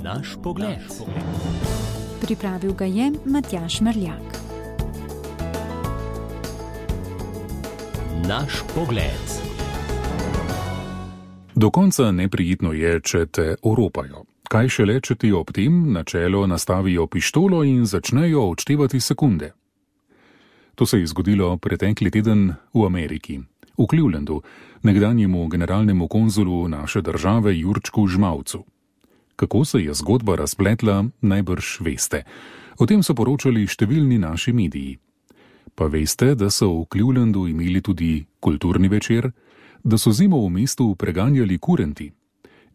Naš pogled. Pripravil ga je Matjaž Merljak. Naš pogled. Do konca neprijetno je, če te oropajo. Kaj šele, če ti ob tem na čelo nastavijo pištolo in začnejo odštevati sekunde. To se je zgodilo pretekli teden v Ameriki, v Clevelandu, nekdanjemu generalnemu konzulu naše države Jurčku Žmavcu. Kako se je zgodba razpletla, najbrž veste. O tem so poročali številni naši mediji. Pa veste, da so v Clevelandu imeli tudi kulturni večer, da so zimo v mestu preganjali kurenti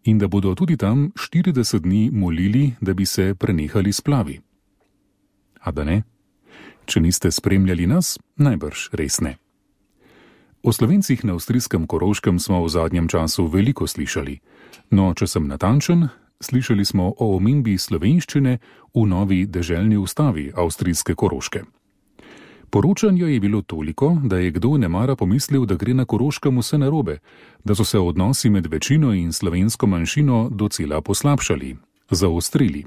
in da bodo tudi tam 40 dni molili, da bi se prenehali splavi. A da ne? Če niste spremljali nas, najbrž res ne. O Slovencih na avstrijskem Koroškem smo v zadnjem času veliko slišali, no, če sem natančen, slišali smo o omembi slovenščine v novi deželni ustavi avstrijske Koroške. Poročanja je bilo toliko, da je kdo nemara pomislil, da gre na Koroškem vse narobe, da so se odnosi med večino in slovensko manjšino docela poslabšali, zaostrili.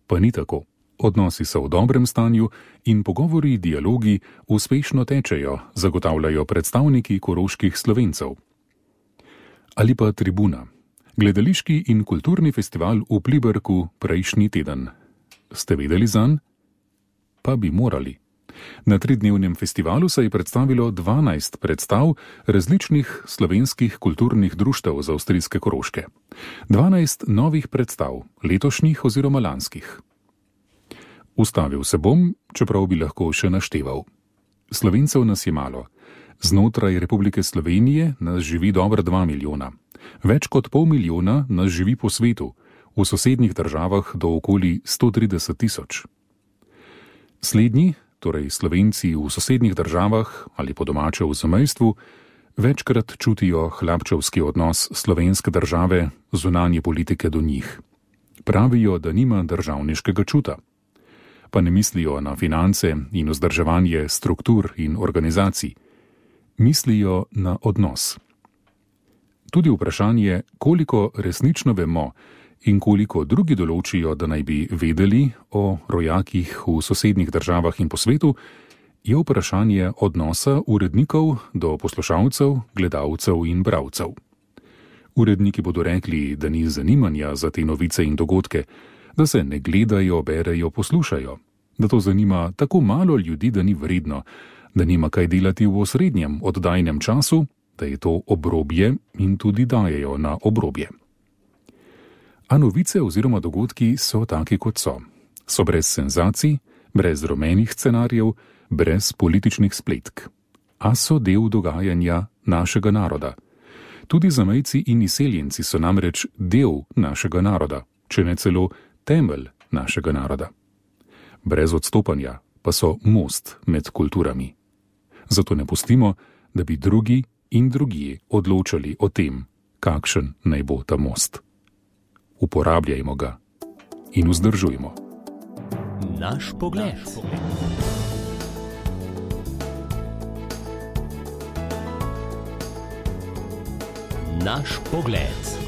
Pa ni tako. Odnosi so v dobrem stanju in pogovori, dialogi uspešno tečejo, zagotavljajo predstavniki koroških Slovencev. Ali pa Tribuna, gledališki in kulturni festival v Pliberku prejšnji teden. Ste vedeli zanj? Pa bi morali. Na 3-dnevnem festivalu se je predstavilo 12 predstav različnih slovenskih kulturnih društev z avstrijske Koroške. 12 novih predstav, letošnjih oziroma lanskih. Ustavil se bom, čeprav bi lahko še našteval. Slovencev nas je malo. Znotraj Republike Slovenije nas živi dobra 2 milijona. Več kot 500 milijona nas živi po svetu, v sosednjih državah do okoli 130 tisoč. Slednji, torej Slovenci v sosednjih državah ali po domače v zamejstvu, večkrat čutijo hlapčevski odnos slovenske države, zunanje politike do njih. Pravijo, da nima državniškega čuta. Pa ne mislijo na finance in vzdrževanje struktur in organizacij. Mislijo na odnos. Tudi vprašanje, koliko resnično vemo in koliko drugi določijo, da naj bi vedeli o rojakih v sosednjih državah in po svetu, je vprašanje odnosa urednikov do poslušalcev, gledalcev in bralcev. Uredniki bodo rekli, da ni zanimanja za te novice in dogodke, da se ne gledajo, berejo, poslušajo, da to zanima tako malo ljudi, da ni vredno, da nima kaj delati v osrednjem oddajnem času, da je to obrobje in tudi dajejo na obrobje. A novice oziroma dogodki so taki, kot so. So brez senzacij, brez rumenih scenarijev, brez političnih spletk. A so del dogajanja našega naroda. Tudi zamejci in izseljenci so namreč del našega naroda, če ne celo temelj našega naroda. Brez odstopanja pa so most med kulturami. Zato ne pustimo, da bi drugi in drugije odločali o tem, kakšen naj bo ta most. Uporabljajmo ga in vzdržujmo. Naš pogled. Naš pogled.